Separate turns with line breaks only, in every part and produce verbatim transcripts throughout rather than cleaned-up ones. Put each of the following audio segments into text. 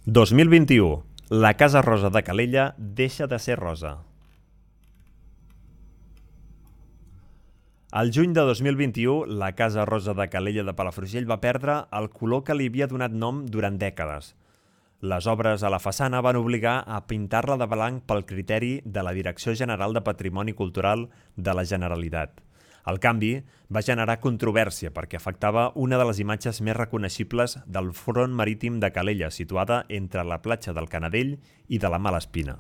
dos mil vint-i-u. La Casa Rosa de Calella deixa de ser rosa. Al juny de dos mil vint-i-u, la Casa Rosa de Calella de Palafrugell va perdre el color que li havia donat nom durant dècades. Les obres a la façana van obligar a pintar-la de blanc pel criteri de la Direcció General de Patrimoni Cultural de la Generalitat. El canvi va generar controvèrsia perquè afectava una de les imatges més reconeixibles del front marítim de Calella, situada entre la platja del Canadell i de la Malespina.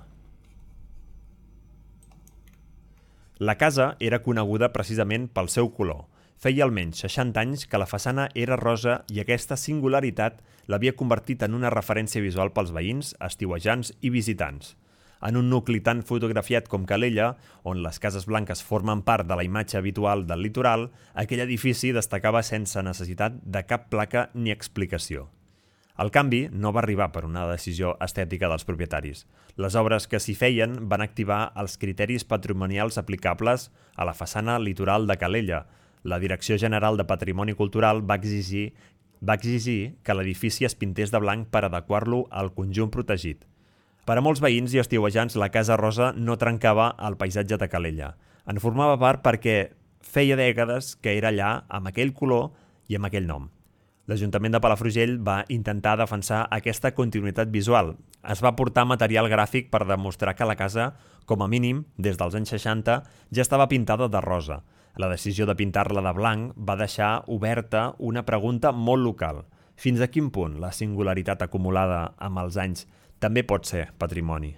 La casa era coneguda precisament pel seu color. Feia almenys seixanta anys que la façana era rosa i aquesta singularitat l'havia convertit en una referència visual pels veïns, estiuejants i visitants. En un nucli tan fotografiat com Calella, on les cases blanques formen part de la imatge habitual del litoral, aquell edifici destacava sense necessitat de cap placa ni explicació. El canvi no va arribar per una decisió estètica dels propietaris. Les obres que s'hi feien van activar els criteris patrimonials aplicables a la façana litoral de Calella. La Direcció General de Patrimoni Cultural va exigir, va exigir que l'edifici es pintés de blanc per adequar-lo al conjunt protegit. Per a molts veïns i estiuejants, la Casa Rosa no trencava el paisatge de Calella. En formava part perquè feia dècades que era allà amb aquell color i amb aquell nom. L'Ajuntament de Palafrugell va intentar defensar aquesta continuïtat visual. Es va portar material gràfic per demostrar que la casa, com a mínim, des dels anys seixanta, ja estava pintada de rosa. La decisió de pintar-la de blanc va deixar oberta una pregunta molt local. Fins a quin punt la singularitat acumulada amb els anys també pot ser patrimoni?